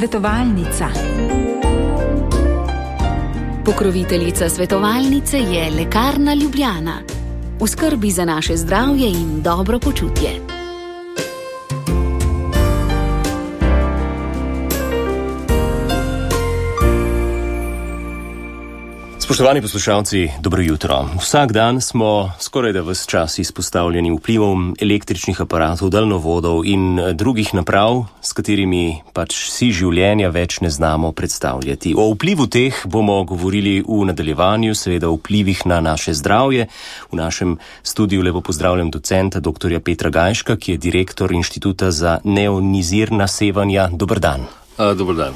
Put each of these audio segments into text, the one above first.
Svetovalnica. Pokroviteljica svetovalnice je Lekarna Ljubljana. V skrbi za naše zdravje in dobro počutje. Spoštovani poslušalci, dobro jutro. Vsak dan smo skoraj da ves čas izpostavljeni vplivom električnih aparatov, daljnovodov in drugih naprav, s katerimi pač si življenja več ne znamo predstavljati. O vplivu teh bomo govorili v nadaljevanju, seveda o vplivih na naše zdravje. V našem studiu lepo pozdravljam docenta dr. Petra Gajška, ki je direktor Inštituta za neionizirna sevanja. Dober dan. Dober dan.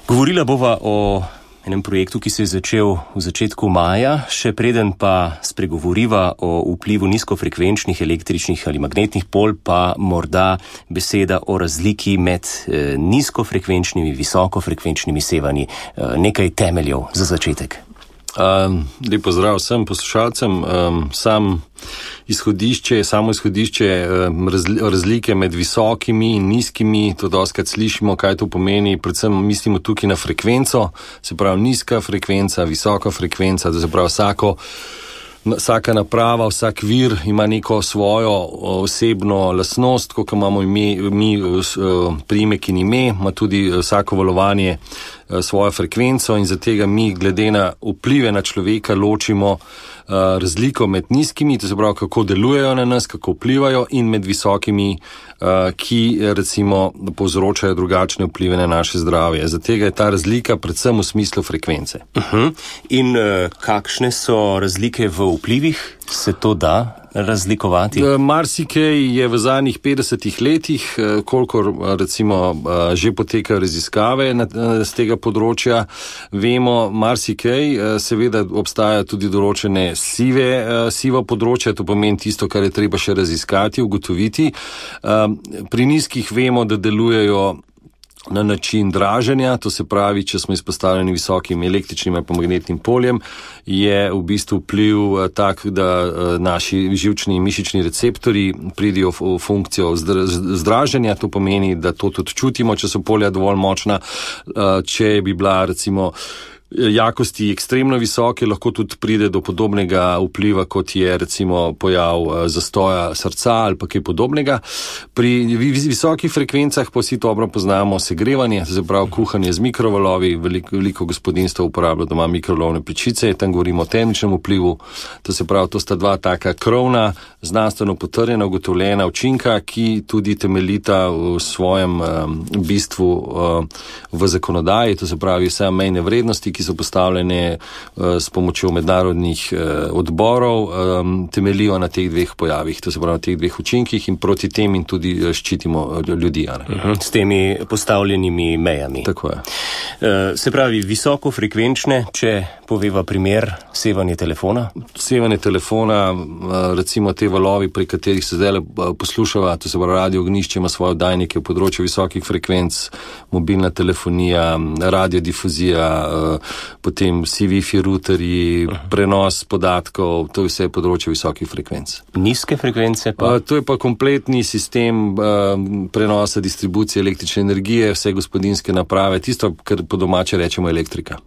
Govorila bova o enem projektu, ki se je začel v začetku maja, še preden pa spregovoriva o vplivu nizkofrekvenčnih električnih ali magnetnih polj, pa morda beseda o razliki med nizkofrekvenčnimi, visokofrekvenčnimi sevanji. Nekaj temeljev za začetek. Lep pozdrav vsem poslušalcem. Samo izhodišče razlike med visokimi in nizkimi, to dostakrat slišimo, kaj to pomeni, predvsem mislimo tukaj na frekvenco, se pravi nizka frekvenca, visoka frekvenca, to se pravi vsaka naprava, vsak vir ima neko svojo osebno lastnost, kot imamo mi priimek in ime, ima tudi vsako valovanje svojo frekvenco in zatega mi glede na vplive na človeka ločimo razliko med nizkimi, to se pravi, kako delujejo na nas, kako vplivajo, in med visokimi, ki recimo povzročajo drugačne vplive na naše zdravje. Zatega je ta razlika predvsem v smislu frekvence. In kakšne so razlike v vplivih? Se to da razlikovati? Marsikaj je v zadnjih 50 letih, kolikor recimo že potekajo raziskave z tega področja, vemo marsikaj, seveda obstajajo tudi določene siva področja, to pomeni tisto, kar je treba še raziskati, ugotoviti. Pri nizkih vemo, da delujejo na način draženja, to se pravi, če smo izpostavljeni visokim električnim ali pa magnetnim poljem, je v bistvu vpliv tak, da naši živčni in mišični receptorji pridejo v funkcijo zdraženja, to pomeni, da to tudi čutimo, če so polja dovolj močna. Če bi bila recimo jakosti ekstremno visoke, lahko tudi pride do podobnega vpliva, kot je recimo pojav zastoja srca ali pa kaj podobnega. Pri visokih frekvencah pa vsi dobro poznamo segrevanje, to se pravi kuhanje z mikrovalovi, veliko gospodinjstva uporablja doma mikrovalovne pečice, tam govorimo o termičnem vplivu, to se pravi, to sta dva taka krovna, znanstveno potrjena, ugotovljena učinka, ki tudi temeljita v svojem bistvu v zakonodaji, to se pravi vse mejne vrednosti, ki so postavljene s pomočjo mednarodnih odborov, temelijo na teh dveh pojavih, to se pravi na teh dveh učinkih, in proti tem in tudi ščitimo ljudi. S temi postavljenimi mejami. Tako je. Se pravi, visokofrekvenčne, če poveva primer, sevanje telefona? Sevanje telefona, recimo te valovi, pri katerih se zdaj poslušava, to se pravi radio ognjišče ima svoje oddajnike v področju visokih frekvenc, mobilna telefonija, radiodifuzija, potem vsi Wi-Fi routerji, prenos podatkov, to je vse področje visokih frekvenc. Nizke frekvence pa? To je pa kompletni sistem prenosa, distribucije električne energije, vse gospodinjske naprave, tisto, kar po domače rečemo elektrika.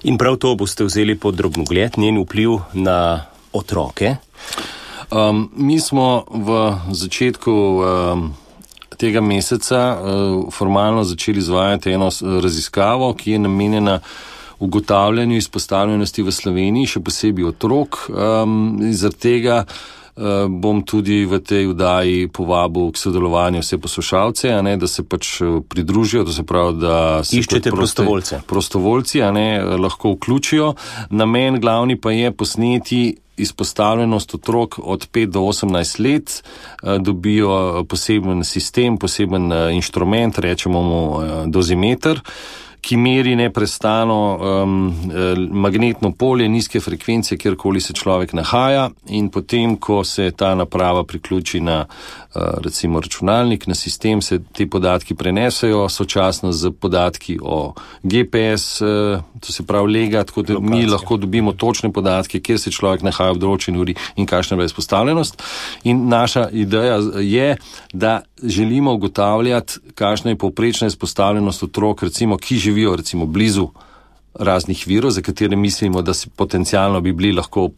In prav to boste vzeli pod drobnogled, njen vpliv na otroke? Mi smo v začetku tega meseca formalno začeli izvajati eno raziskavo, ki je namenjena ugotavljanju izpostavljenosti v Sloveniji, še posebej otrok. Zaradi tega bom tudi v tej vdaji povabil k sodelovanju vse poslušalce, da se pač pridružijo, to se pravi, da se iščete prostovoljci lahko vključijo. Namen glavni pa je posneti izpostavljenost otrok od 5 do 18 let, dobijo poseben sistem, poseben inštrument, rečemo mu dozimeter, ki meri neprestano magnetno polje nizke frekvence, kjerkoli se človek nahaja, in potem, ko se ta naprava priključi na recimo računalnik, na sistem, se te podatki prenesejo sočasno z podatki o GPS, to se pravi lega, tako da mi lahko dobimo točne podatke, kjer se človek nahaja v določeni uri in kakšna je izpostavljenost. In naša ideja je, da želimo ugotavljati, kakšna je povprečna izpostavljenost otrok, recimo, ki živijo recimo blizu raznih virov, za katere mislimo, da potencialno bi bili lahko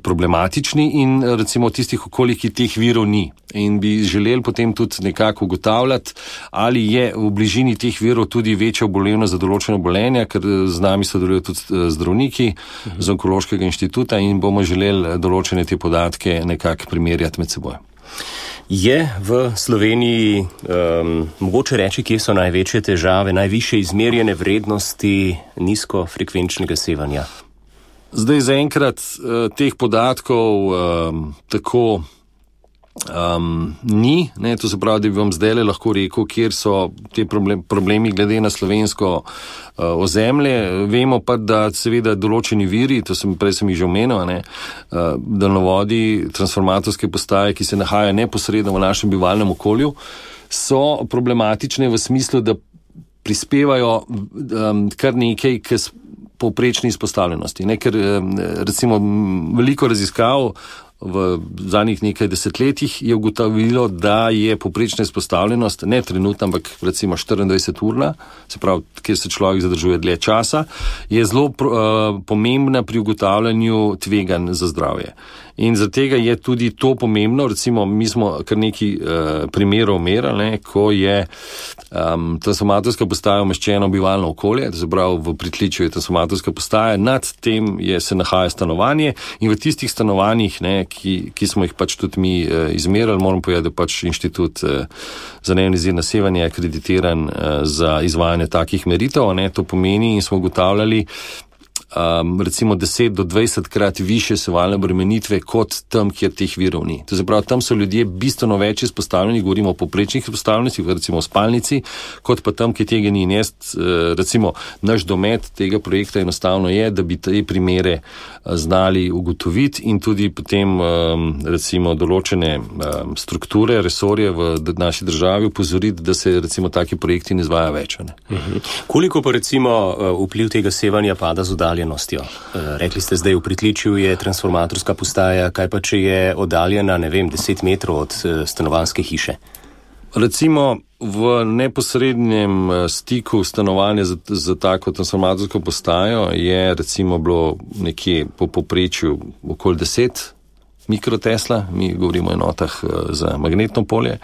problematični in recimo v tistih okoljih, ki teh virov ni. In bi želeli potem tudi nekako ugotavljati, ali je v bližini teh virov tudi večja obolevnost za določeno obolenje, ker z nami sodelujo tudi zdravniki z Onkološkega inštituta in bomo želeli določene te podatke nekako primerjati med seboj. Je v Sloveniji mogoče reči, kje so največje težave, najvišje izmerjene vrednosti nizkofrekvenčnega sevanja? Zdaj zaenkrat teh podatkov tako ni, ne, to se pravi, da bi vam zdaj lahko rekel, kjer so te problemi glede na slovensko ozemlje. Vemo pa, da seveda določeni viri, prej sem jih že omenil, daljnovodi, transformatorske postaje, ki se nahajajo neposredno v našem bivalnem okolju, so problematične v smislu, da prispevajo kar nekaj k povprečni izpostavljenosti. Ne, ker recimo veliko raziskav v zadnjih nekaj desetletjih je ugotovilo, da je povprečna izpostavljenost, ne trenutna, ampak recimo 24-urna, se pravi, kjer se človek zadržuje dlje časa, je zelo pomembna pri ugotavljanju tveganj za zdravje. In zaradi tega je tudi to pomembno, recimo mi smo kar nekaj primerov merali, ko je transformatorska postaja umeščena v bivalno okolje, to se pravi v pritličju je transformatorska postaja, nad tem se nahaja stanovanje in v tistih stanovanjih, ki smo jih pač tudi mi izmerali, moram povedati, da pač inštitut za neionizirano sevanje je akreditiran za izvajanje takih meritev, to pomeni in smo ugotavljali recimo 10 do 20 krat više sevalne obremenitve kot tam, kjer teh virov ni. To se pravi, tam so ljudje bistveno več izpostavljeni, govorimo o povprečnih izpostavljenosti, recimo v spalnici, kot pa tam, kjer tega ni. Recimo, naš domet tega projekta enostavno je, da bi te primere znali ugotoviti in tudi potem recimo določene strukture, resorje v naši državi upozoriti, da se recimo taki projekti ne izvaja več. Koliko pa recimo vpliv tega sevanja pada z oddaljenostjo? Rekli ste zdaj, v pritličju je transformatorska postaja, kaj pa če je oddaljena, 10 metrov od stanovanjske hiše? Recimo v neposrednem stiku stanovanja za tako transformatorsko postajo je recimo bilo nekje po povprečju okoli 10 mikrotesla, mi govorimo o enotah za magnetno polje.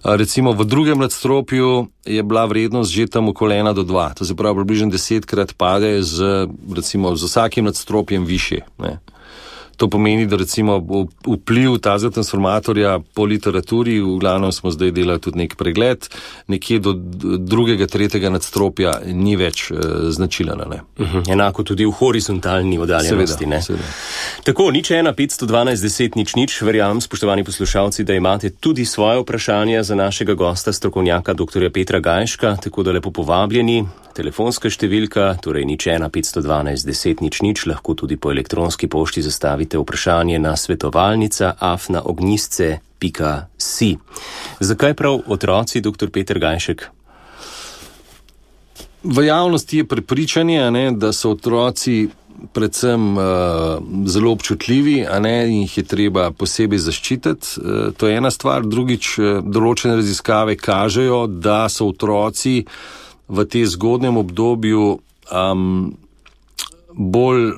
Recimo v drugem nadstropju je bila vrednost že tam okoli 1 do 2, to se pravi približno 10krat pade z vsakim nadstropjem višje. To pomeni, da recimo vpliv tazga transformatorja po literaturi, v glavnem smo zdaj delali tudi nek pregled, nekje do 2., 3. nadstropja ni več značilen. Enako tudi v horizontalni oddaljenosti. Seveda. Tako, 01 512 10 00, verjamem, spoštovani poslušalci, da imate tudi svoje vprašanja za našega gosta, strokovnjaka dr. Petra Gajška, tako da lepo povabljeni. Telefonska številka, torej 01 512 10 00, lahko tudi po elektronski pošti zastavite vprašanje na svetovalnica@ognjisce.si. Zakaj prav otroci, dr. Peter Gajšek? V javnosti je prepričanje, da so otroci predvsem zelo občutljivi, in jih je treba posebej zaščititi. To je ena stvar. Drugič, določene raziskave kažejo, da so otroci v tem zgodnjem obdobju bolj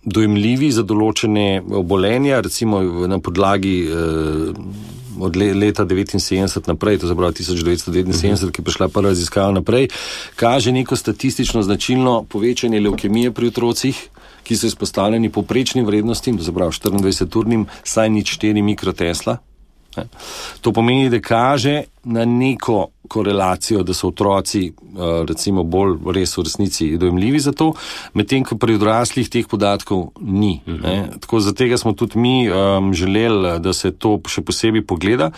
dojemljivi za določene obolenja, recimo na podlagi od leta 1979 naprej, to se pravi 1979, ki je prišla prva raziskava naprej, kaže neko statistično značilno povečanje levkemije pri otrocih, ki so izpostavljeni povprečnim vrednostim, to se pravi 24-urnim, saj 0,4 mikrotesla. To pomeni, da kaže na neko korelacijo, da so otroci recimo bolj res v resnici dojemljivi za to, medtem ko pri odraslih teh podatkov ni. Tako za tega smo tudi mi želeli, da se to še posebej pogleda,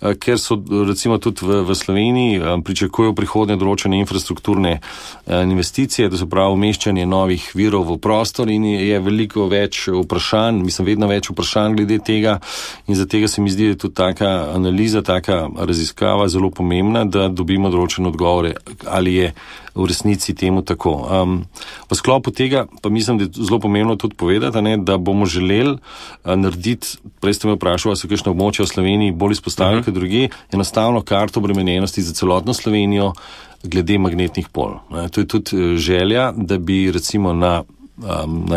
ker so recimo tudi v Sloveniji pričakujejo prihodnje določene infrastrukturne investicije, da so prav umeščanje novih virov v prostor in je veliko več vprašanj, vedno več vprašanj glede tega in za tega se mi zdi, da je tudi taka analiza, taka raziskava raziskava zelo pomembna, da dobimo določene odgovore, ali je v resnici temu tako. V sklopu tega pa mislim, da je zelo pomembno tudi povedati, da bomo želeli narediti, prej ste me vprašali, so kakšne območja v Sloveniji bolj izpostavljene kot drugi, enostavno karto obremenjenosti za celotno Slovenijo glede magnetnih pol. To je tudi želja, da bi recimo na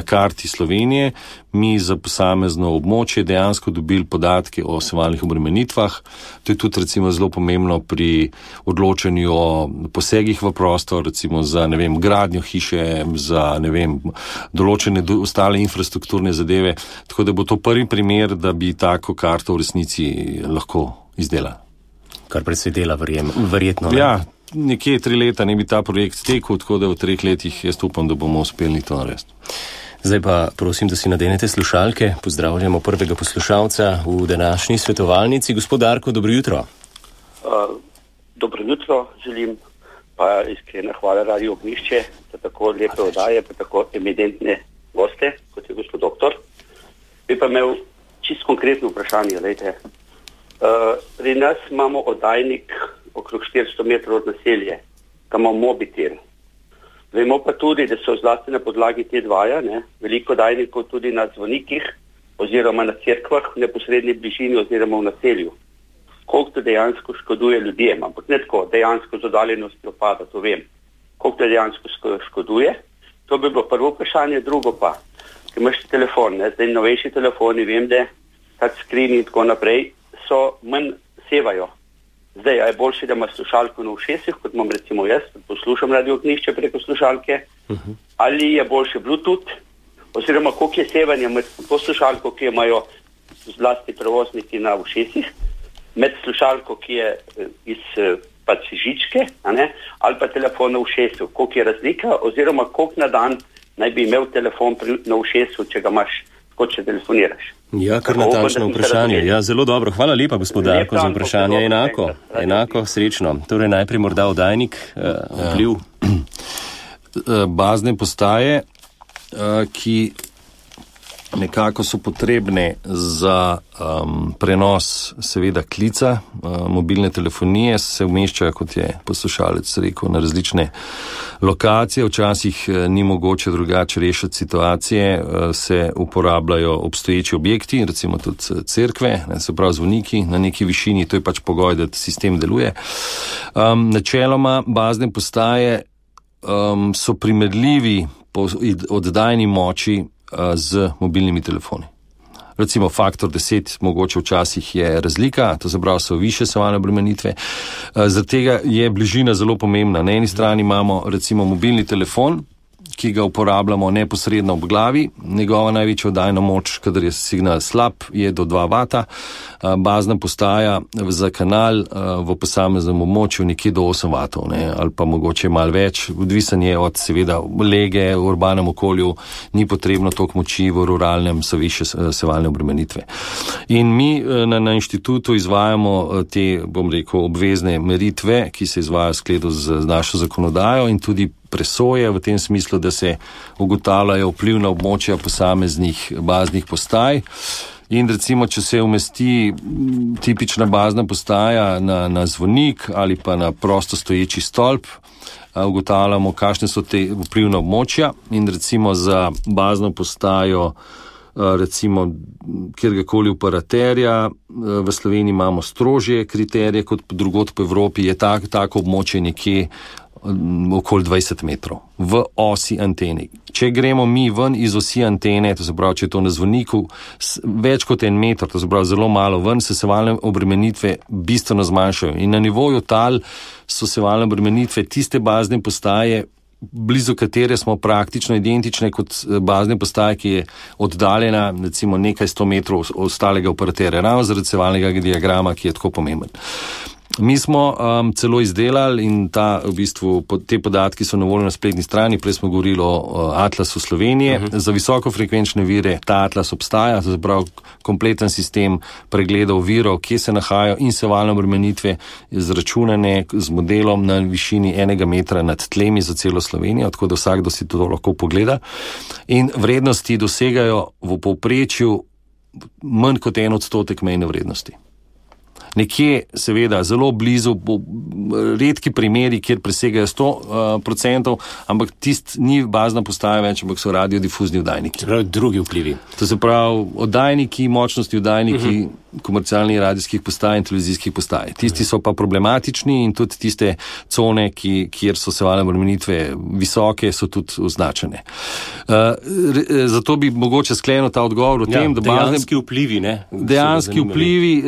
karti Slovenije mi za posamezno območje dejansko dobili podatke o sevalnih obremenitvah. To je tudi recimo zelo pomembno pri odločanju o posegih v prostor, recimo za, gradnjo hiše, za, določene ostale infrastrukturne zadeve. Tako da bo to prvi primer, da bi tako karto v resnici lahko izdelali. Kar predvsej dela, verjetno. Ne? Ja, nekje 3 leta ne bi ta projekt tekel, tako da v 3 letih jaz upam, da bomo uspeli to narediti. Zdaj pa prosim, da si nadenete slušalke. Pozdravljamo prvega poslušalca v današnji svetovalnici. Gospod Darko, dobro jutro. Dobro jutro želim, pa iskrena hvala Radio Ognjišče za tako lepe oddaje, pa tako eminentne goste, kot je gospod doktor. Bi pa imel čisto konkretno vprašanje, glejte. Pri nas imamo oddajnik okrog 400 metrov od naselje, tam imamo mobitel. Vemo pa tudi, da so zlasti na podlagi te dvaja, veliko oddajnikov tudi na zvonikih oziroma na cerkvah v neposredni bližini oziroma v naselju. Koliko to dejansko škoduje ljudem, ampak ne tako, dejansko z oddaljenostjo pada, to vem. Koliko to dejansko škoduje, to bi bilo prvo vprašanje. Drugo pa, ker imaš telefon, zdaj novejši telefoni, vem, da touchscreen in tako naprej so manj sevajo. Zdaj, je boljše, da ima slušalko na ušesih, kot imam recimo jaz, poslušam Radio Ognjišče preko slušalke, ali je boljše Bluetooth, oziroma koliko je sevanja med to slušalko, ki imajo zlasti prevozniki na ušesih, med slušalko, ki je iz žičke, ali pa telefon na ušesu, koliko je razlika, oziroma koliko na dan naj bi imel telefon na ušesu, če ga imaš, kot če telefoniraš. Ja, kar natančno vprašanje. Ja, zelo dobro. Hvala lepa, gospod Darko, za vprašanje. Enako, srečno. Torej, najprej morda oddajnik, vpliv. Bazne postaje, ki nekako so potrebne za prenos seveda klica, mobilne telefonije, se umeščajo, kot je poslušalec rekel, na različne lokacije. Včasih ni mogoče drugače rešiti situacije, se uporabljajo obstoječi objekti, recimo tudi cerkve, se pravi zvoniki na neki višini, to je pač pogoj, da sistem deluje. Načeloma bazne postaje so primerljivi po oddajni moči z mobilnimi telefoni. Recimo faktor 10, mogoče včasih je razlika, to se pravi, so više sevalne obremenitve. Zaradi tega je bližina zelo pomembna. Na eni strani imamo recimo mobilni telefon, ki ga uporabljamo neposredno ob glavi. Njegova največja oddajna moč, kadar je signal slab, je do 2 vata. Bazna postaja za kanal v posameznem območju nekje do 8 vatov, ali pa mogoče malo več. Odvisen je od seveda lege v urbanem okolju, ni potrebno toliko moči, v ruralnem so više sevalne obremenitve. In mi na inštitutu izvajamo te, obvezne meritve, ki se izvajajo v skladu z našo zakonodajo in tudi presoje v tem smislu, da se ugotavljajo vpliv na območja posameznih baznih postaj. In recimo, če se umesti tipična bazna postaja na zvonik ali pa na prosto stoječi stolp, ugotavljamo, kakšne so te vplivna območja in recimo za bazno postajo, recimo kjerkoli operaterja, v Sloveniji imamo strožje kriterije kot drugod po Evropi, je tako območje nekje okoli 20 metrov v osi antene. Če gremo mi ven iz osi antene, to se pravi, če je to na zvoniku, več kot 1 meter, to se pravi zelo malo ven, se sevalne obremenitve bistveno zmanjšajo. In na nivoju tal so sevalne obremenitve tiste bazne postaje, blizu katere smo praktično identične kot bazne postaje, ki je oddaljena recimo nekaj 100 metrov ostalega operaterja, ravno zaradi sevalnega diagrama, ki je tako pomemben. Mi smo celo izdelali in te podatki so na voljo na spletni strani, prej smo govorili o Atlasu Slovenije. Za visokofrekvenčne vire ta Atlas obstaja, to se pravi kompleten sistem pregledov virov, kje se nahajajo in sevalne obremenitve izračunane z modelom na višini 1 metra nad tlemi za celo Slovenijo, tako da vsakdo si to lahko pogleda. In vrednosti dosegajo v povprečju manj kot 1% mejne vrednosti. Nekje, seveda, zelo blizu, redki primeri, kjer presegajo 100%, ampak ni bazna postaja več, ampak so radiodifuzni oddajniki. Drugi vplivi. To se pravi, oddajniki, močnosti oddajniki komercialnih radijskih postaj in televizijskih postaj. Tisti so pa problematični in tudi tiste cone, kjer so sevalne obremenitve visoke, so tudi označene. Zato bi mogoče sklenil ta odgovor o tem, da dejanski vplivi, ne? Dejanski vplivi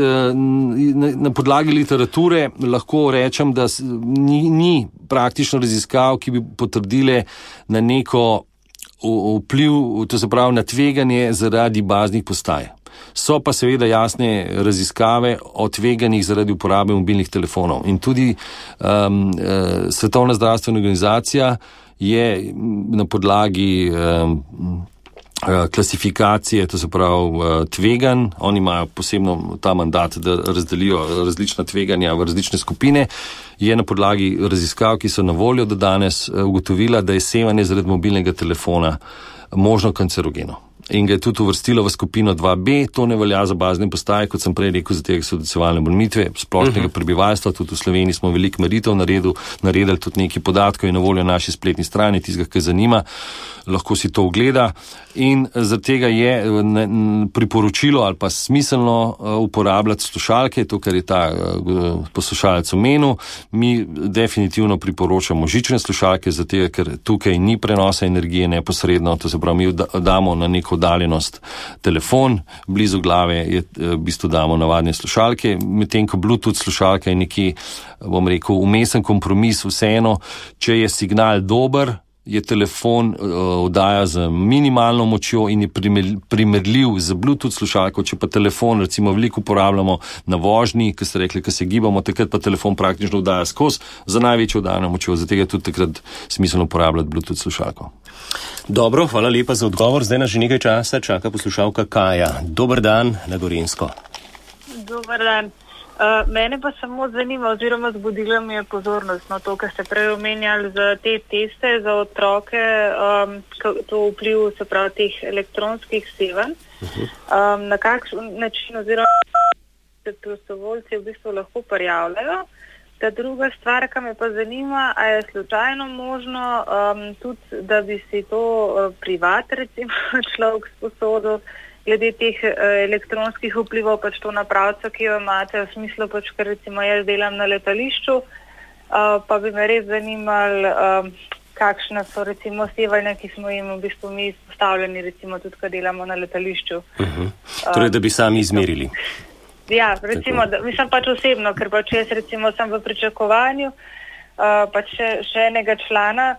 na podlagi literature lahko rečem, da ni praktično raziskav, ki bi potrdile na neko vpliv, to se pravi na tveganje zaradi baznih postaj. So pa seveda jasne raziskave o tveganjih zaradi uporabe mobilnih telefonov. In tudi Svetovna zdravstvena organizacija je na podlagi klasifikacije, to se pravi tveganj, oni imajo posebno ta mandat, da razdelijo različna tveganja v različne skupine, je na podlagi raziskav, ki so na voljo do danes, ugotovila, da je sevanje zaradi mobilnega telefona možno kancerogeno. In ga je tudi uvrstilo v skupino 2B, to ne velja za bazne postaje, kot sem prej rekel, za tega so sevalne obremenitve splošnega prebivalstva, tudi v Sloveniji smo veliko meritev naredili tudi nekaj podatkov in na voljo naši spletni strani, tistega, ki zanima, lahko si to ogleda. In zaradi tega je priporočilo ali pa smiselno uporabljati slušalke, to, kar je ta poslušalec omenil. Mi definitivno priporočamo žične slušalke, zato ker tukaj ni prenosa energije neposredno, to se pravi, mi damo na neko oddaljenost telefon, blizu glave je v bistvu damo navadne slušalke, medtem ko Bluetooth slušalka je neki, bom rekel, umesen kompromis, vseeno, če je signal dober, je telefon oddaja z minimalno močjo in je primerljiv z Bluetooth slušalko, če pa telefon recimo veliko uporabljamo na vožnji, ki ste rekli, ki se gibamo, takrat pa telefon praktično oddaja skozi za največjo oddajano močjo, zato je tudi takrat smiselno uporabljati Bluetooth slušalko. Dobro, hvala lepa za odgovor. Zdaj nas že nekaj časa čaka poslušalka Kaja. Dober dan na Gorenjsko. Dober dan. Mene pa samo zanima, oziroma zbudila mi je pozornost na to, kar ste prej omenjali za te teste za otroke, to vpliv, se pravi, teh elektronskih sevanj. Na kakšen način oziroma se prostovoljci v bistvu lahko prijavljajo. Ta druga stvar, ki me pa zanima, a je slučajno možno tudi, da bi si to privat, recimo, človek sposodil, glede teh elektronskih vplivov, pač to napravca, ki jo imate, v smislu, pač, ker recimo jaz delam na letališču, pa bi me res zanimali, kakšne so recimo sevanja, ki smo jim v bistvu mi izpostavljeni, recimo tudi, ko delamo na letališču. Torej, da bi sami izmerili. Ja, recimo, mislim pač osebno, ker pač jaz recimo sem v pričakovanju, pač še enega člana,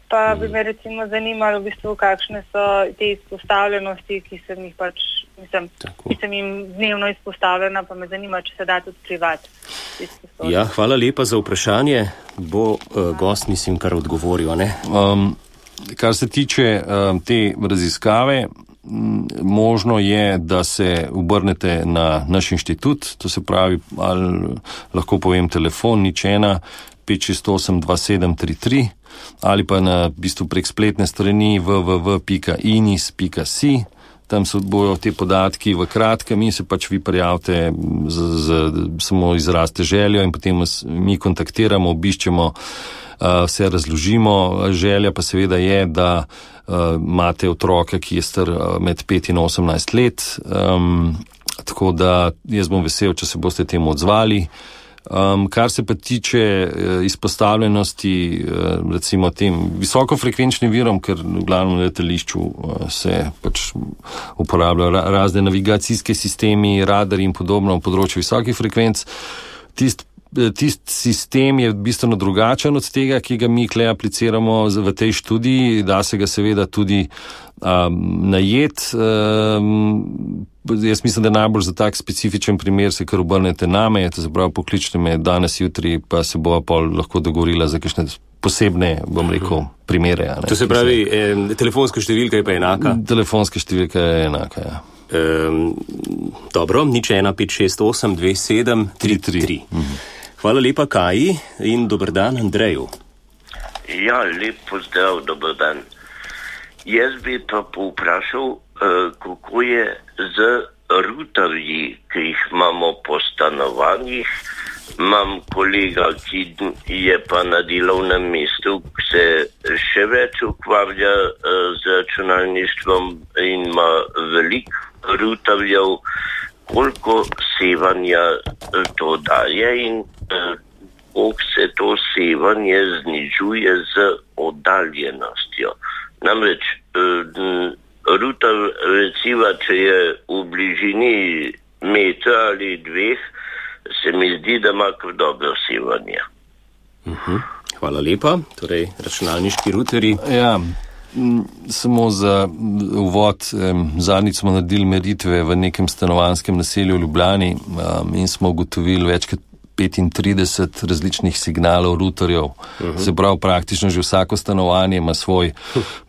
pa bi me recimo zanimalo v bistvu, kakšne so te izpostavljenosti, ki sem jih pač, ki sem jim dnevno izpostavljena, pa me zanima, če se da tudi privat. Ja, hvala lepa za vprašanje. Bo gost, mislim, kar odgovoril, ne? Kar se tiče te raziskave, možno je, da se obrnete na naš inštitut, to se pravi, ali lahko povem telefon, 01 568 2733, ali pa na bistvu prek spletne strani www.inis.si. Tam se bojo te podatki v kratkem in se pač vi prijavite, samo izrazite željo in potem mi kontaktiramo, obiščemo, vse razložimo. Želja pa seveda je, da imate otroka, ki je star med 5 in 18 let, tako da jaz bom vesel, če se boste temu odzvali. Kar se pa tiče izpostavljenosti recimo tem visokofrekvenčnim virom, ker v glavnem letališču se pač uporabljajo razne navigacijske sistemi, radari in podobno v področju visokih frekvenc, tisti sistem je bistveno drugačen od tega, ki ga mi tukaj apliciramo v tej študiji, da se ga seveda tudi najet. Jaz mislim, da najbolj za tak specifičen primer se kar obrnete name, to se pravi, pokličite me danes, jutri, pa se bova pol lahko dogovorila za kakšne posebne, bom rekel, primere. To se pravi, telefonska številka je pa enaka? Telefonska številka je enaka, ja. Dobro, 01 568 2733. Hvala lepa Kaji in dober dan Andreju. Ja, lep pozdrav, dober dan. Jaz bi pa povprašal, kako je z rutarji, ki jih imamo po stanovanjih. Imam kolega, ki je pa na delovnem mestu, ki se še več ukvarja z računalništvom in ima veliko rutarjev, koliko sevanja to daje in koliko se to sevanje znižuje z oddaljenostjo. Namreč rutar, recimo, če je v bližini metra ali dveh, se mi zdi, da ima kar dobro sevanje. Hvala lepa. Torej, računalniški ruteri. Ja, samo za uvod. Zadnjič smo naredili meritve v nekem stanovanjskem naselju v Ljubljani in smo ugotovili več kot 35 različnih signalov ruterjev. Se pravi, praktično že vsako stanovanje ima svoj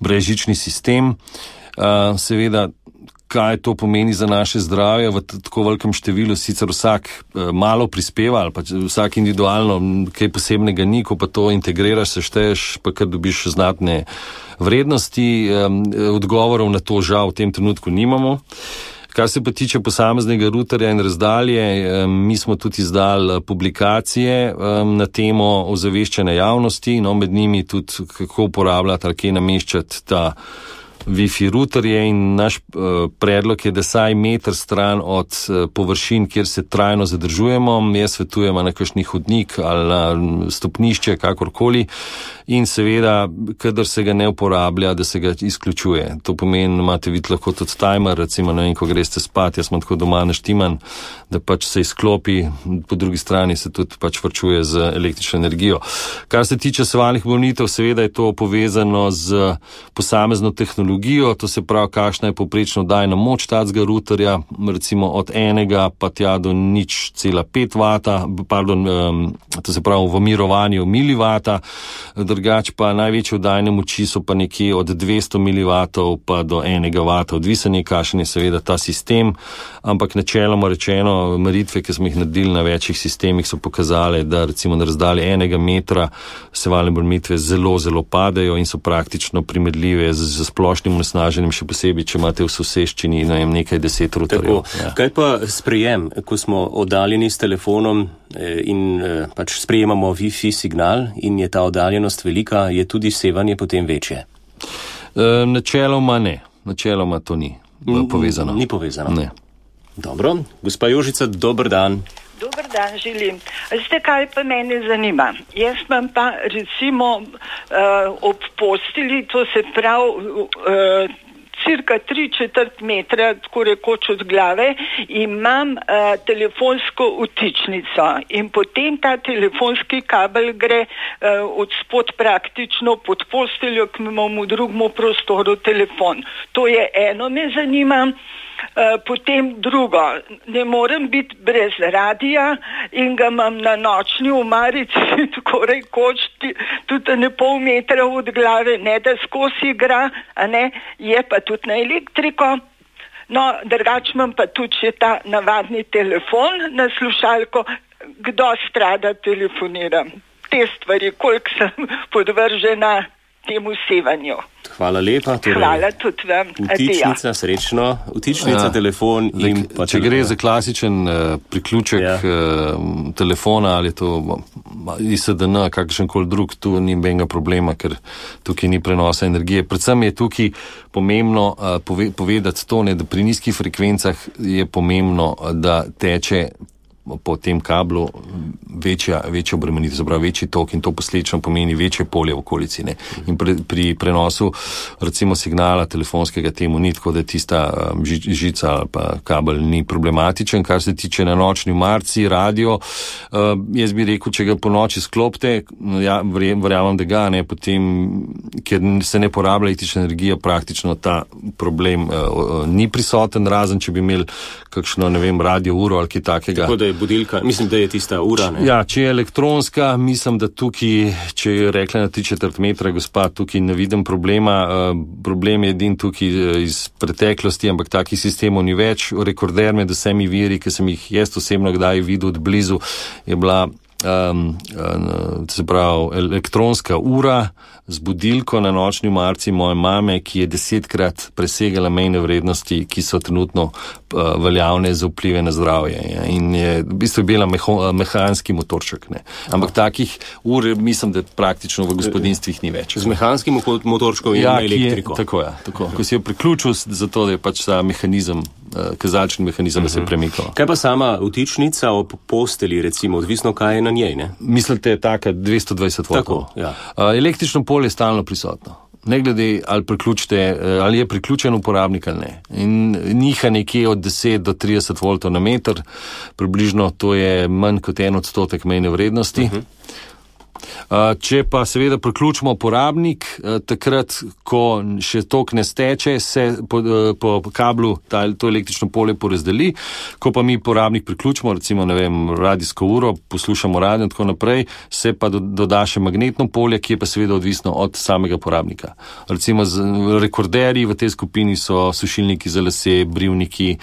brezžični sistem. Seveda, kaj to pomeni za naše zdravje v tako velikem številu, sicer vsak malo prispeva ali pa vsak individualno kaj posebnega ni, ko pa to integriraš, sešteješ, pa kar dobiš znatne vrednosti. Odgovorov na to žal v tem trenutku nimamo. Kar se pa tiče posameznega ruterja in razdalje, mi smo tudi izdali publikacije na temo ozaveščanja javnosti, no med njimi tudi kako uporabljati ali kje nameščati ta Wi-Fi ruterje in naš predlog je, da saj meter stran od površin, kjer se trajno zadržujemo, jaz svetujemo na kakšni hodnik ali na stopnišče, kakorkoli, in seveda, kadar se ga ne uporablja, da se ga izključuje. To pomeni, imate videti lahko tudi timer, recimo, ne vem, ko greste spat, jaz sem tako doma naštiman, da pač se izklopi, po drugi strani se tudi pač varčuje z električno energijo. Kar se tiče sevalnih bolnitev, seveda je to povezano z posamezno tehnologijo, to se pravi, kakšna je povprečno oddajna moč tacga ruterja, recimo od 1 pa tja do 0,5 vata, to se pravi v mirovanju milivata, drugač pa največje oddajne moči so pa nekje od 200 milivatov pa do 1 vata, odvisen je, kakšen je seveda ta sistem, ampak načeloma rečeno, meritve, ki smo jih naredili na večjih sistemih, so pokazale, da recimo na razdalji 1 metra sevalne bolnitve zelo, zelo padajo in so praktično primerljive z splošnim onesnaženjem, še posebej, če imate v soseščini nekaj 10 ruterjev. Ja. Kaj pa sprejem, ko smo oddaljeni s telefonom in pač sprejemamo Wi-Fi signal in je ta oddaljenost velika, je tudi sevanje potem večje? Načeloma ne. Načeloma to ni povezano. Ni povezano? Ne. Dobro. Gospa Jožica, dober dan. Dober dan želim. Veste, kaj pa mene zanima? Jaz imam pa recimo ob posteli, to se pravi cirka 3/4 metra, tako rekoč od glave, imam telefonsko vtičnico in potem ta telefonski kabel gre od spod praktično pod posteljo, ki imamo v drugem prostoru telefon. To je eno, me zanima. Potem drugo, ne morem biti brez radija in ga imam na nočni omarici, tako rekoč, tudi ne pol metra od glave, ne da skozi igra, a ne, je pa tudi na elektriko. No, drugač imam pa tudi še ta navadni telefon na slušalko, kdo strada telefoniram. Te stvari, koliko sem podvržena temu sevanju. Hvala lepa. Torej, hvala tudi vam. Vtičnica, srečno. Vtičnica, telefon in pa če gre za klasičen priključek telefona ali to ISDN, kakšenkoli drug, tu ni benga problema, ker tukaj ni prenosa energije. Predvsem je tukaj pomembno povedati to, da pri nizkih frekvencah je pomembno, da teče po tem kablu večja obremenitev, se pravi večji tok in to posledično pomeni večje polje v okolici. Ne? In pri prenosu recimo signala telefonskega temu ni, tako da tista žica ali pa kabel ni problematičen. Kar se tiče na nočni marci, radio, jaz bi rekel, če ga po noči sklopite, ja, verjamem, da ga ne, potem, ker se ne porablja električna energija, praktično ta problem ni prisoten, razen če bi imeli kakšno, ne vem, radio uro ali kaj takega. Tako da je budilka, mislim, da je tista ura, ne? Ja, če je elektronska, mislim, da tukaj, če je rekla na 3/4 metra, gospa, tukaj ne vidim problema. Problem je edin tukaj iz preteklosti, ampak takih sistemov ni več. Rekorder med vsemi viri, ki sem jih jaz osebno kdaj videl od blizu, je bila se pravi elektronska ura z budilko na nočni omarici moje mame, ki je 10-krat presegala mejne vrednosti, ki so trenutno veljavne za vplive na zdravje. In je v bistvu bila mehanski motorček. Ne. Ampak takih ur mislim, da praktično v gospodinstvih ni več. Z mehanskim motorčkom in elektriko. Tako. Ko si jo priključil za to, da je pač ta mehanizem, kazalčni mehanizem, da se je premikal. Kaj pa sama vtičnica ob posteli, recimo, odvisno kaj je na njej, ne? Mislite, taka 220 voltov? Tako, ja. Električno polje je stalno prisotno. Ne glede, ali je priključen uporabnik ali ne. In niha nekje od 10 do 30 voltov na meter, približno to je manj kot 1% mejne vrednosti. Če pa seveda priključimo uporabnik, takrat, ko še tok ne steče, se po kablu to električno polje porazdeli, ko pa mi uporabnik priključimo, recimo, radijsko uro, poslušamo radio in tako naprej, se pa doda še magnetno polje, ki je pa seveda odvisno od samega uporabnika. Recimo rekorderji v tej skupini so sušilniki za lase, brivniki,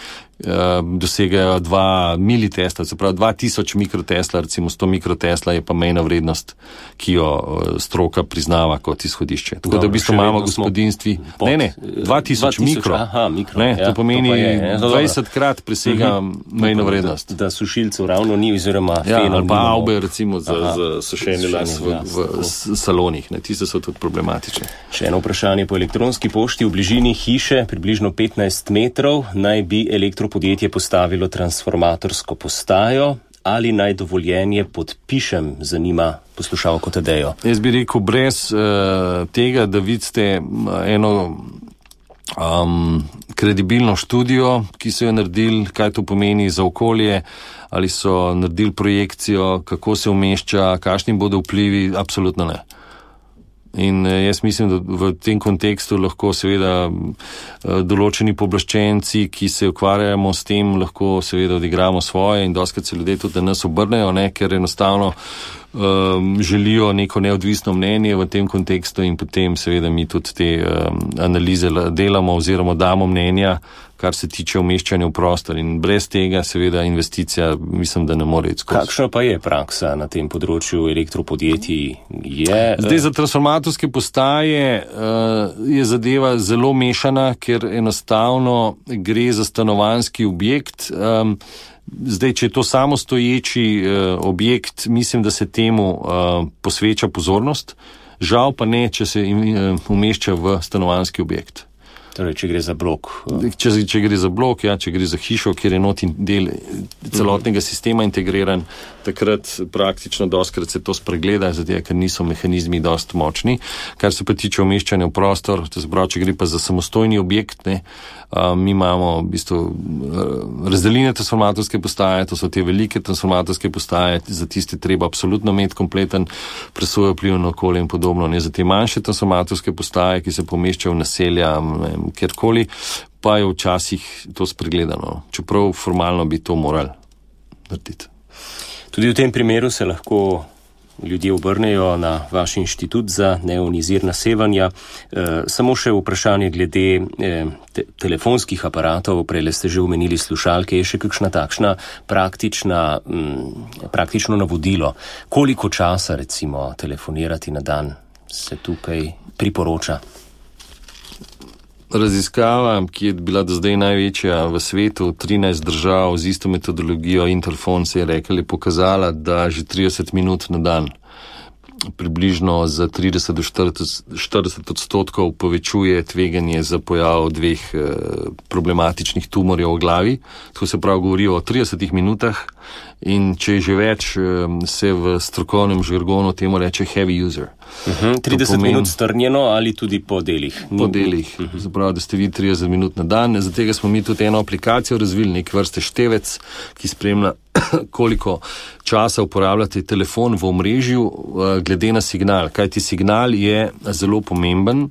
dosegajo 2 militesla, se pravi 2000 mikrotesla, recimo 100 mikrotesla je pa mejna vrednost, ki jo stroka priznava kot izhodišče. Tako da v bistvu imamo gospodinstvi, 2000 mikro. To pomeni 20krat presega mejno vrednost. Da sušilcev ravno ni, oziroma ali pa avbe, recimo za sušenje las v salonih, tiste so tudi problematične. Še eno vprašanje po elektronski pošti. V bližini hiše, približno 15 metrov, naj bi podjetje postavilo transformatorsko postajo, ali naj dovoljenje podpišem, zanima poslušalko Tadejo. Jaz bi rekel, brez tega, da vidite eno kredibilno študijo, ki so jo naredili, kaj to pomeni za okolje, ali so naredili projekcijo, kako se umešča, kakšni bodo vplivi, absolutno ne. In jaz mislim, da v tem kontekstu lahko seveda določeni pooblaščenci, ki se ukvarjamo s tem, lahko seveda odigramo svoje in dostikrat se ljudje tudi na nas obrnejo, ker enostavno želijo neko neodvisno mnenje v tem kontekstu in potem seveda mi tudi te analize delamo oziroma damo mnenja, kar se tiče umeščanja v prostor, in brez tega seveda investicija mislim, da ne more iti skozi. Kakšna pa je praksa na tem področju elektropodjetij? Zdaj za transformatorske postaje je zadeva zelo mešana, ker enostavno gre za stanovanjski objekt. Zdaj, če je to samostoječi objekt, mislim, da se temu posveča pozornost, žal pa ne, če se umešča v stanovanjski objekt. Torej, če gre za blok. Če gre za blok, če gre za hišo, kjer je noti del celotnega sistema integriran, takrat praktično dostikrat se to spregleda, zato ker niso mehanizmi dosti močni. Kar se pa tiče umeščanja v prostor, to se pravi, če gre pa za samostojni objekt, mi imamo v bistvu razdeljene transformatorske postaje, to so te velike transformatorske postaje, za tiste treba absolutno imeti kompleten presojo vpliv na okolje in podobno. Za te manjše transformatorske postaje, ki se pomeščajo v naselja, kjerkoli, pa je včasih to spregledano. Čeprav formalno bi to morali narediti. Tudi v tem primeru se lahko ljudje obrnejo na vaš inštitut za neionizirna sevanja. Samo še vprašanje glede telefonskih aparatov, prej ste že omenili slušalke, je še kakšna takšna praktično navodilo? Koliko časa recimo telefonirati na dan se tukaj priporoča? Raziskava, ki je bila do zdaj največja v svetu, 13 držav z isto metodologijo Interphone se je rekla, je pokazala, da že 30 minut na dan približno za 30 do 40% povečuje tveganje za pojav 2 problematičnih tumorjev v glavi. To se pravi govori o 30 minutah in če je že več, se v strokovnem žargonu temu reče heavy user. 30 minut strnjeno ali tudi po delih? Po delih. Zapravi, da ste vi 30 minut na dan. Zato smo mi tudi eno aplikacijo razvili, nek vrste števec, ki spremlja, koliko časa uporabljate telefon v omrežju glede na signal. Kajti signal je zelo pomemben,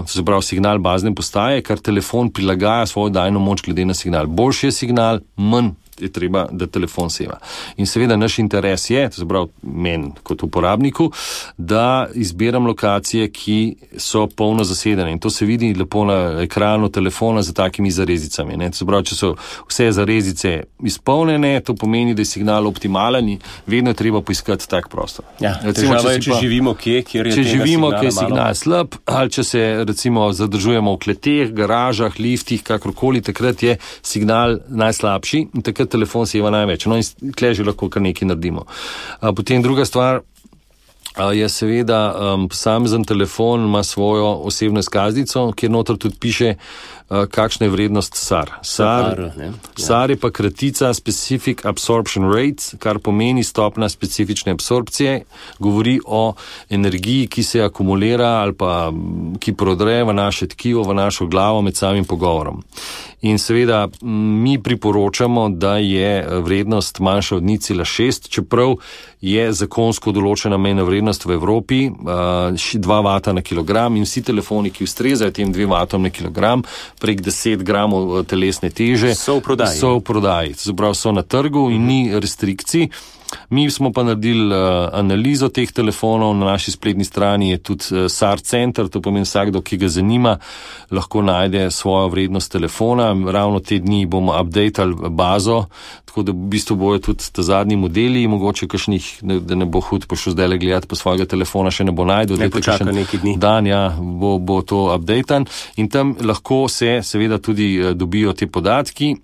se pravi signal bazne postaje, kar telefon prilagaja svojo dajno moč glede na signal. Boljši je signal, manj je treba, da telefon seva. In seveda naš interes je, to se pravi meni kot uporabniku, da izbiram lokacije, ki so polno zasedene. In to se vidi lepo na ekranu telefona za takimi zarezicami. Ne? To se pravi, če so vse zarezice izpolnjene, to pomeni, da je signal optimalen in vedno je treba poiskati tak prostor. Ja, težava je, če živimo kje, kjer je signal slab, ali če se recimo zadržujemo v kleteh, garažah, liftih, kakorkoli, takrat je signal najslabši in takrat telefon seva največ. No in tle že lahko kar nekaj naredimo. Potem druga stvar je seveda posamezen telefon ima svojo osebno izkaznico, kjer noter tudi piše, kakšna je vrednost SAR. SAR je pa kratica Specific Absorption Rate, kar pomeni stopna specifične absorpcije, govori o energiji, ki se akumulira ali pa ki prodre v naše tkivo, v našo glavo med samim pogovorom. In seveda mi priporočamo, da je vrednost manjša od 0,6, čeprav je zakonsko določena mejna vrednost v Evropi 2 vata na kilogram in vsi telefoni, ki ustrezajo tem 2 vatom na kilogram, prek 10 gramov telesne teže, so v prodaji. To se pravi, so na trgu in ni restrikcij. Mi smo pa naredili analizo teh telefonov, na naši spletni strani je tudi SAR center, to pomeni vsakdo, ki ga zanima, lahko najde svojo vrednost telefona. Ravno te dni bomo updatali bazo, tako da v bistvu bojo tudi ta zadnji modeli, mogoče kakšnih, da ne bo hud pošel zdaj gledati po svojega telefona, še ne bo najdel. Ne počaka neki dni. Dan, ja, bo to updatan in tam lahko se seveda tudi dobijo te podatki.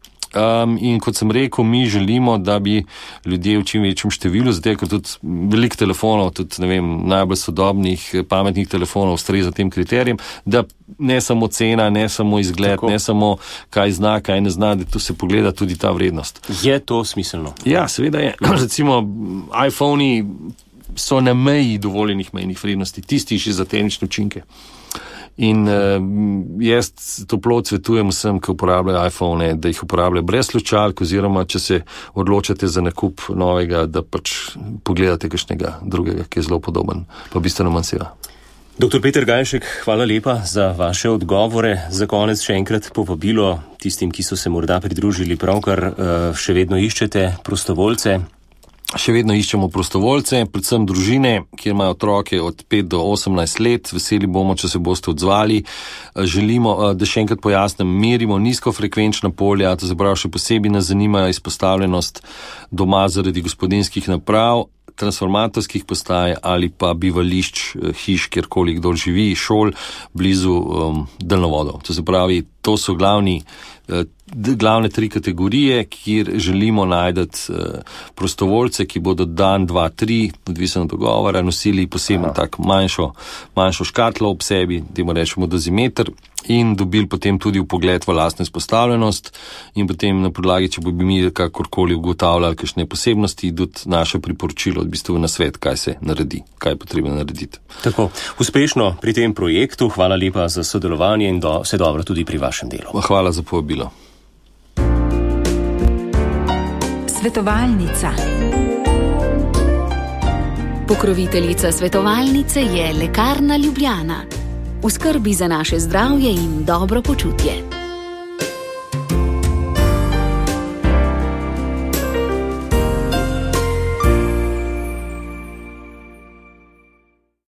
In kot sem rekel, mi želimo, da bi ljudje v čim večjem številu, zato ker tudi veliko telefonov, tudi ne vem, najbolj sodobnih pametnih telefonov ustreza tem kriterijem, da ne samo cena, ne samo izgled, tako, ne samo kaj zna, kaj ne zna, da tu se pogleda tudi ta vrednost. Je to smiselno? Ja, seveda je. Recimo iPhone-i so na meji dovoljenih mejnih vrednosti, tisti še za tehnične učinke. In jaz toplo svetujem vsem, ki uporabljajo iPhone, da jih uporabljajo brez slučalk, oziroma če se odločate za nakup novega, da pač pogledate kakšnega drugega, ki je zelo podoben, pa bistveno manj seva. Dr. Peter Gajšek, hvala lepa za vaše odgovore. Za konec še enkrat povabilo tistim, ki so se morda pridružili pravkar, še vedno iščete prostovoljce. Še vedno iščemo prostovoljce, predvsem družine, kjer imajo otroke od 5 do 18 let. Veseli bomo, če se boste odzvali. Želimo, da še enkrat pojasnim, merimo nizkofrekvenčna polja, to se pravi, še posebej nas zanima izpostavljenost doma zaradi gospodinjskih naprav, transformatorskih postaj ali pa bivališč, hiš, kjerkoli kdo živi, šol, blizu daljnovodov. To se pravi, to so glavne 3 kategorije, kjer želimo najti prostovoljce, ki bodo dan, 2, 3, odvisno od dogovora, nosili posebno tak manjšo škatlo ob sebi, temu rečemo dozimeter, in dobili potem tudi vpogled v lastno izpostavljenost in potem na podlagi, če bi mi kakorkoli ugotavljali kakšne posebnosti, tudi naše priporočilo, v bistvu na svet, kaj se naredi, kaj je potrebno narediti. Tako, uspešno pri tem projektu, hvala lepa za sodelovanje in vse dobro tudi pri vašem delu. Hvala za povabilo. Svetovalnica. Pokroviteljica svetovalnice je Lekarna Ljubljana. V skrbi za naše zdravje in dobro počutje.